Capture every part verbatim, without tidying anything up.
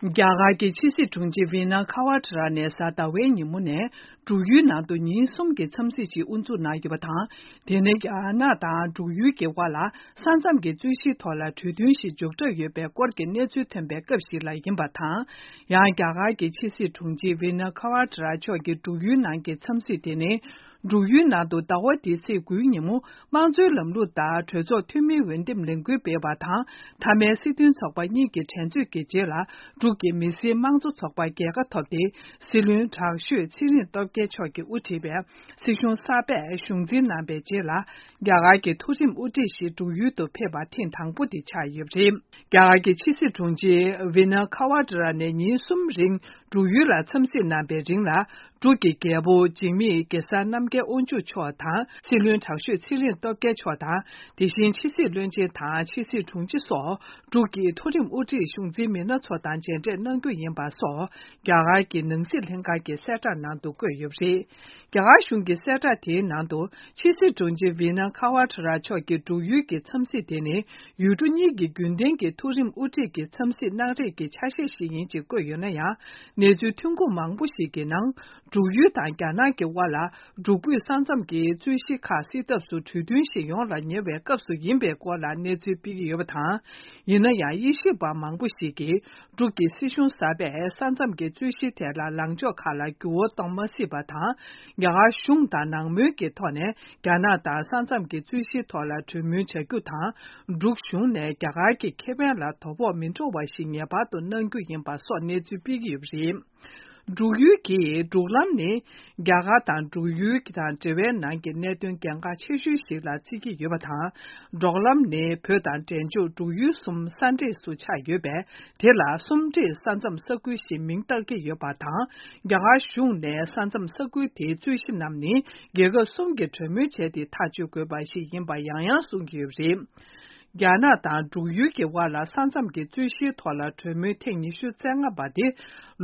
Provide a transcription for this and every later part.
རྒྱ་གར་གྱི་ཕྱི་སྲིད་དྲུང་ཆེ་ཝི་ན་ཁ་ཝ་ཏྲ་ནས་གཟའ་ཟླ་བའི་ཉིན་མོ་ནས་འབྲུག་ཡུལ་ནང་དུ་ཉིན་གསུམ་གྱི་འཚམས་གཟིགས་ཤིག་དབུ་འཛུགས་གནང་ཡོད་པ་དང་། དེ་ནི་རྒྱ་ནག་དང་འབྲུག་ཡུལ་གྱི་དབར་ལ་ས་མཚམས་ཀྱི་རྩོད་གཞིའི་ཐོག་ལ་གྲོས་མཐུན་ཞིག་མཇུག་གྲབས་ཡོད་པའི་སྐོར་གྱི་གནས་ཚུལ་ཐོན་པའི་སྐབས་ཤིག་ལ་ཡིན་པ་དང་། ཡང་རྒྱ་གར་གྱི་ཕྱི་སྲིད་དྲུང་ཆེ་ཝི་ན་ཁ་ཝ་ཏྲ་མཆོག་གི་འབྲུག་ཡུལ་ནང་གི་འཚམས་གཟིགས་དེ་ནི། འབྲུག་ཡུལ་ནང་དུ་ཟླ་བ་འདིའི་ཚེས་དགུའི་ཉིན་མོ་དམངས་གཙོའི་ལམ་ལུགས་ལྟར་གྲོས་ཚོགས་འཐུས་མིའི་འོས་འདེམས་ལས་འགུལ་སྤེལ་བ་དང་། མཐའ་མའི་སྲིད་དོན་ཚོགས་པ་གཉིས་ཀྱི་འགྲན་རྩོད་ཀྱི་རྗེས་ལ། འབྲུག་གི་མི་སེར་དམངས་གཙོ་ཚོགས་པ་རྒྱལ་ཁ་ཐོབ་སྟེ། སྲིད་བློན་དྲག་ཤོས་ཚེ་རིང་སྟོབས་རྒྱལ་མཆོག་གིས་དབུ་ཁྲིད་པའི་སྲིད་གཞུང་གསར་པས་གཞུང་འཛིན་གནང་བའི་རྗེས་ལ། རྒྱ་གར་གྱི་མཐོ་རིམ་དབུ་ཁྲིད་ཞིག་འབྲུག་ཡུལ་དུ་ཕེབས་པ་ཐེངས་དང་པོ་དེ་ཆགས་ཡོད་པ་རེད། རྒྱ་གར་གྱི་ཕྱི་སྲིད་དྲུང་ཆེ་ཝི་ན་ཁ་ཝ་ཏྲ་ནས་ཉིན་གསུམ་རིང་འབྲུག་ཡུལ་ལ་འཚམས་གཟིགས་གནང་བའི་རིང་ལ། འབྲུག་གི་རྒྱལ་པོ་འཇིགས་མེད་གེ་སར་རྣམ་རྒྱལ་དབང་ཕྱུག་མཆོག་དང་། སྲིད་བློན་དྲག་ཤོས་ཚེ་རིང་སྟོབས་རྒྱལ་མཆོག་དང་། དེ་བཞིན་ཕྱི་སྲིད་བློན་ཆེན་དང་ཕྱི་སྲིད་དྲུང་ཆེ་སོགས། འབྲུག་གི་མཐོ་རིམ་དབུ་ཁྲིད་གཞུང་འཛིན་མི་སྣ་ཚོ་དང་མཇལ་འཕྲད་གནང་རྒྱུ་ཡིན་པ་སོགས། རྒྱ་གར་གྱི་ནང་སྲིད་ལྷན་ཁང་གི་གསལ་བསྒྲགས་ནང་དུ་བཀོད་ཡོད་པ་རེད། རྒྱ་གར་གཞུང་གི་གསལ་བསྒྲགས་དེའི་ནང་དུ། ཕྱི་སྲིད་དྲུང་ཆེ་ཝི་ན་ཁ་ཝ་ཏྲ་མཆོག་གིས་འབྲུག་ཡུལ་གྱི་འཚམས་གཟིགས་དེ་ནི། ཡུལ་གྲུ་གཉིས་ཀྱི་རྒྱུན་ལྡན་གྱི་མཐོ་རིམ་དབུ་ཁྲིད་ཀྱི་འཚམས་གཟིགས་གནང་རེས་ཀྱི་ཆ་ཤས་ཤིག་ཡིན་ཅེས་བཀོད་ཡོད་ན་ཡང་། གནས་ཚུལ་ཐོན་ཁུངས་མང་པོ་ཞིག་གི་ནང་། འབྲུག་ཡུལ་དང་རྒྱ་ནག་གི་དབར་ལ། འབྲུག་བོད་ས་མཚམས་ཀྱི་རྩོད་གཞི་ཁག་སེལ་ཐབས་སུ་གྲོས་མཐུན་ཞིག་ཡོང་ལ་ཉེ་བའི་སྐབས་སུ་ཡིན་པའི་སྐོར་ལ་གནས་ཚུལ་སྤེལ་གྱི་ཡོད་པ་དང་། ཡིན་ན་ཡང་། དབྱེ་ཞིབ་པ་མང་པོ་ཞིག་གིས། འབྲུག་གི་སྲིད་གཞུང་གསར་པས་ས་མཚམས་ཀྱི་རྩོད་གཞིའི་ཐད་ལ་ལངས་ཕྱོགས་ཁག་ལ་འགྱུར་བ་གཏོང་མ་སྲིད་པ་དང་། རྒྱ་གར་གཞུང་དང་ནང་མོལ་གྱི་ཐོག་ནས་རྒྱ་ནག་དང་ས་མཚམས་ཀྱི་རྩོད་གཞིའི་ཐོག་ལ་གྲོས་མོལ་བྱ་རྒྱུ་དང་། འབྲུག་གཞུང་ནས་རྒྱ་གར་གྱི་ཁེ་ཕན་ལ་དོ་ཕོག་མི་འགྲོ་བ་ཞིག་ངེས་པར་དུ་གནང་རྒྱུ་ཡིན་པ་སོགས་གནས་ཚུལ་སྤེལ་གྱི་ཡོད་པ་རེད། འབྲུག་ཡུལ་གྱི་འབྲུག་ལམ་ནི། རྒྱ་གར་དང་འབྲུག་ཡུལ་དང་འབྲེལ་བའི་ནང་གི་གནད་དོན་གལ་འགངས་ཆེ་ཤོས་ཤིག་ལ་བརྩི་གི་ཡོད་པ་དང་། འབྲོག་ལམ་ནི་བོད་དང་འབྲས་ལྗོངས་འབྲུག་ཡུལ་གསུམ་ས་འདྲེས་སུ་ཆགས་ཡོད་པས། དེ་ལ་གསུམ་འདྲེས་ས་མཚམས་ས་ཁུལ་ཞེས་མིང་བཏགས་ཀྱི་ཡོད་པ་དང་། རྒྱ་གར་གཞུང་ནས་ས་མཚམས་ས་ཁུལ་དེའི་རྩོད་གཞི་རྣམས་ནི། རྒྱལ་ཁབ་གསུམ་གྱིས་གྲོས་མོལ་བྱས་ཏེ་ཐག་གཅོད་དགོས་པ་ཞིག་ཡིན་པ་ཡང་ཡང་གསུང་གི་ཡོད་པ་རེད། རྒྱ་ནག་དང་འབྲུག་ཡུལ་གྱི་དབར་ལ་ས་མཚམས་ཀྱི་རྩོད་གཞིའི་ཐོག་ལ་གྲོས་མོལ་ཐེངས་ཉི་ཤུ་རྩ་ལྔ་པ་དེ།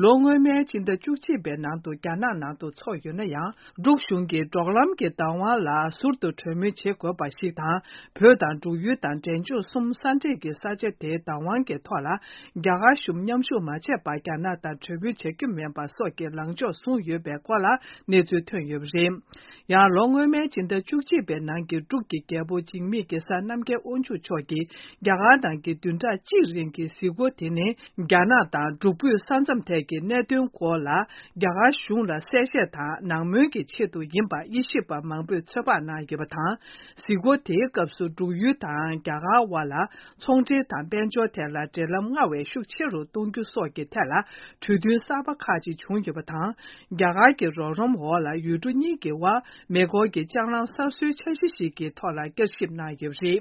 ལོ་སྔོན་མའི་སྤྱི་ཟླ་བཅུ་གཅིག་པའི་ནང་དུ་རྒྱ་ནག་ནང་དུ་ཚོགས་ཡོད་ན་ཡང་། འབྲུག་གཞུང་གིས་འབྲོག་ལམ་གྱི་བདག་དབང་ལ་ཟུར་དུ་གྲོས་མོལ་བྱེད་དགོས་པ་ཞིག་དང་། བོད་དང་འབྲུག་ཡུལ་དང་འབྲས་ལྗོངས་གསུམ་ས་འདྲེས་ཀྱི་ས་ཆ་དེའི་བདག་དབང་གི་ཐོག་ལ། རྒྱ་གར་གཞུང་མཉམ་ཞུགས་མ་བྱས་པར་རྒྱ་ནག་དང་གྲོས་མོལ་བྱ་རྒྱུ་མིན་པ་སོགས་ཀྱི་ལངས་ཕྱོགས་བཟུང་ཡོད་པའི་སྐོར་ལ་གནས་ཚུལ་ཐོན་ཡོད་པ་རེད། ཡང་ལོ་སྔོན་མའི་སྤྱི་ཟླ་བཅུ་གཅིག་པའི་ནང་གི་འབྲུག་གི་རྒྱལ་པོ་འཇིགས་མེད་གེ་སར་རྣམ་རྒྱལ་དབང་ཕྱུག་མཆོག་གིས་རྒྱ་གར་ནང་གི་བདུན་ཕྲག་གཅིག་རིང་གི་གཟིགས་སྐོར་དེ་ནི། རྒྱ་ནག་དང་འབྲུག་བོད་ས་མཚམས་ཐད་ཀྱི་གནད་དོན་སྐོར་ལ་རྒྱ་གར་གཞུང་ལ་གསལ་བཤད་དང་ནང་མོལ་གྱི་ཆེད་དུ་ཡིན་པ་དབྱེ་ཞིབ་པ་མང་པོས་ཚོད་དཔག་གནང་ཡོད་པ་དང་། གཟིགས་སྐོར་དེའི་སྐབས་སུ་འབྲུག་ཡུལ་དང་རྒྱ་གར་དབར་ལ། ཚོང་འབྲེལ་དང་དཔལ་འབྱོར་ཐད་ལ་འབྲེལ་ལམ་སྔར་བས་ཤུགས་ཆེ་རུ་གཏོང་རྒྱུ་སོགས་ཀྱི་ཐད་ལ་གྲོས་མཐུན་གསར་པ་ཁག་ཅིག་བྱུང་ཡོད་པ་དང་། རྒྱ་གར་གྱི་རོགས་རམ་འོག་ལ་ཡུལ་གྲུ་གཉིས་ཀྱི་དབར་མེ་འཁོར་གྱི་ལྕགས་ལམ་གསར་བཟོའི་འཆར་གཞི་ཞིག་གི་ཐོག་ལ་བསྐྱར་ཞིབ་གནང་ཡོད་པ་རེད།